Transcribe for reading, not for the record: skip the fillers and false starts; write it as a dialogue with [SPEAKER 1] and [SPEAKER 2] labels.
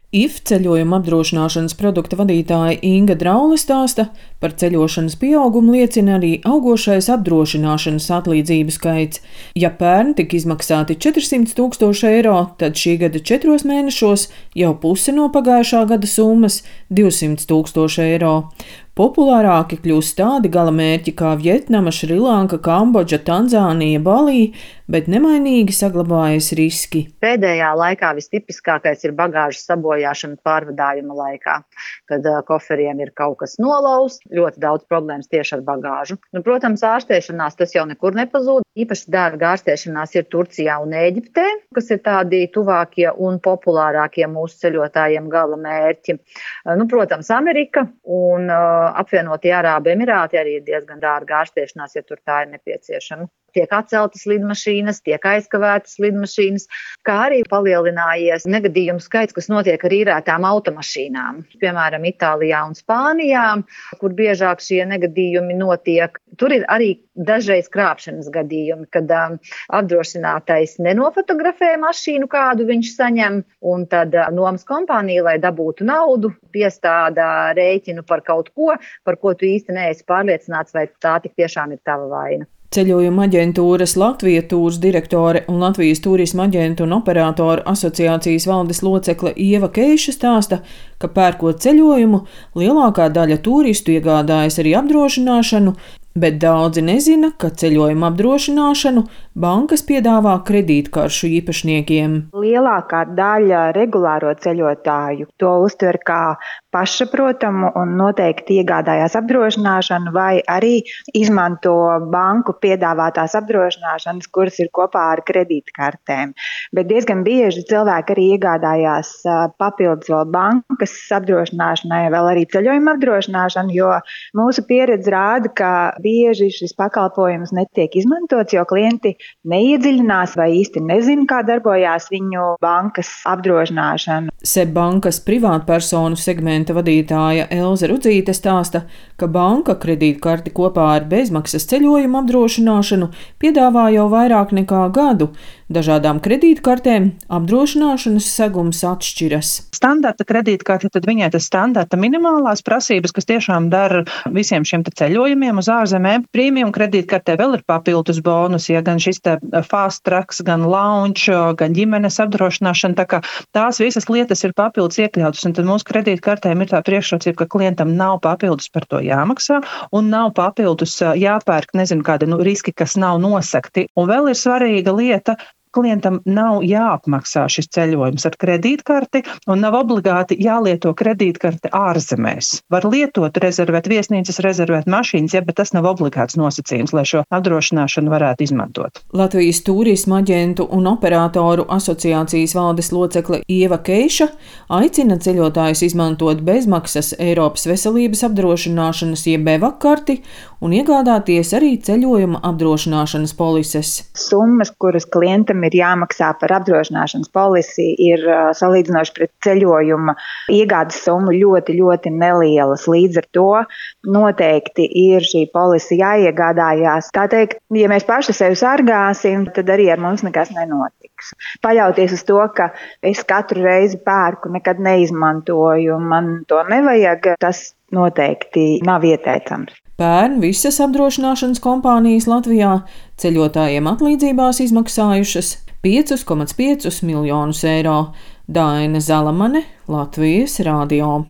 [SPEAKER 1] IF ceļojuma apdrošināšanas produkta vadītāja Inga Draule stāsta, par ceļošanas pieaugumu liecina arī augošais apdrošināšanas atlīdzību skaits. Ja pērn tika izmaksāti 400 000 eiro, tad šī gada 4 mēnešos jau puse no pagājušā gada summas - 200 000 eiro. Populārāki kļūst tādi galamērķi kā Vjetnama, Šrilanka, Kambodža, Tanzānija, Balī, bet nemainīgi saglabājas riski.
[SPEAKER 2] Pēdējā laikā vistipiskākais ir bagāžas sabojāšana pārvadājuma laikā, kad koferiem ir kaut kas nolauzts, ļoti daudz problēmas tieši ar bagāžu. Protams, ārstēšanās tas jau nekur nepazūd. Īpaši dārga ārstēšanās ir Turcijā un Ēģiptē, kas ir tādi tuvākie un populārākie mūsu ceļotājiem galamērķi. Protams, Amerika un apvienotie Arābu Emirāti arī ir diezgan dārga ārstēšanās, ja tur tā ir nepieciešama. Tiek atceltas lidmašīnas, tiek aizkavētas lidmašīnas, kā arī palielinājies negadījumu skaits, kas notiek ar īrētām automašīnām. Piemēram, Itālijā un Spānijā, kur biežāk šie negadījumi notiek. Tur ir arī dažreiz krāpšanas gadījumi, kad apdrošinātais nenofotografē mašīnu, kādu viņš saņem, un tad nomas kompānija, lai dabūtu naudu, piestāda rēķinu par kaut ko, par ko tu īsti neesi pārliecināts, vai tā tik tiešām ir tava vaina.
[SPEAKER 1] Ceļojuma aģentūras Latvija Tūrs direktore un Latvijas turisma aģentu un operātoru asociācijas valdes locekle Ieva Keiša stāsta, ka pērkot ceļojumu, lielākā daļa turistu iegādājas arī apdrošināšanu, bet daudzi nezina, ka ceļojuma apdrošināšanu bankas piedāvā kredītkaršu īpašniekiem.
[SPEAKER 3] Lielākā daļa regulāro ceļotāju to uztver kā pašsaprotamu un noteikti iegādājās apdrošināšanu vai arī izmanto banku piedāvātās apdrošināšanas, kuras ir kopā ar kredītkartēm. Bet diezgan bieži cilvēki arī iegādājās papildus vēl bankas apdrošināšanai, vēl arī ceļojuma apdrošināšanu, jo mūsu pieredze rāda, ka bieži šis pakalpojums netiek izmantots, jo klienti neiedziļinās vai īsti nezina, kā darbojās viņu bankas apdrošināšana.
[SPEAKER 1] SEB bankas privātpersonu segmenta vadītāja Elze Rudzīte stāsta, ka banka kredītkarti kopā ar bezmaksas ceļojuma apdrošināšanu piedāvā jau vairāk nekā gadu. Dažādām kredītkartēm apdrošināšanas segums atšķiras.
[SPEAKER 4] Standarta kredītkarte, tad viņai tas standarta minimālās prasības, kas tiešām dara visiem šiem ceļojumiem uz ārzemēm. Premium kredītkartē vēl ir papildus bonus, ja gan šis fast tracks, gan lounge, gan ģimenes apdrošināšana, tā kā tās visas lietas ir papildus iekļautas, un tad mūsu kredītkartēm ir tā priekšrocība, ka klientam nav papildus par to jāmaksā, un nav papildus jāpērk, kādi riski, kas nav nosakti. Un vēl ir svarīga lieta, klientam nav jāapmaksā šis ceļojums ar kredītkarti un nav obligāti jālieto kredītkarte ārzemēs. Var lietot, rezervēt viesnīcas, rezervēt mašīnas, bet tas nav obligāts nosacījums, lai šo apdrošināšanu varētu izmantot.
[SPEAKER 1] Latvijas turisma aģentu un operātoru asociācijas valdes locekle Ieva Keiša aicina ceļotājus izmantot bezmaksas Eiropas veselības apdrošināšanas jeb EVAK karti un iegādāties arī ceļojuma apdrošināšanas polises.
[SPEAKER 3] Summas, kuras klientam ir jāmaksā par apdrošināšanas polisi, ir salīdzinoši pret ceļojuma iegādes summu ļoti, ļoti nelielas. Līdz ar to noteikti ir šī polisi jāiegādājās. Tā teikt, ja mēs paši sevi sargāsim, tad arī ar mums nekas nenotiks. Paļauties uz to, ka es katru reizi pērku, nekad neizmantoju, man to nevajag, tas noteikti nav ieteicams.
[SPEAKER 1] Pērn visas apdrošināšanas kompānijas Latvijā ceļotājiem atlīdzībās izmaksājušas 5,5 miljonus eiro. Daina Zalamane, Latvijas radio.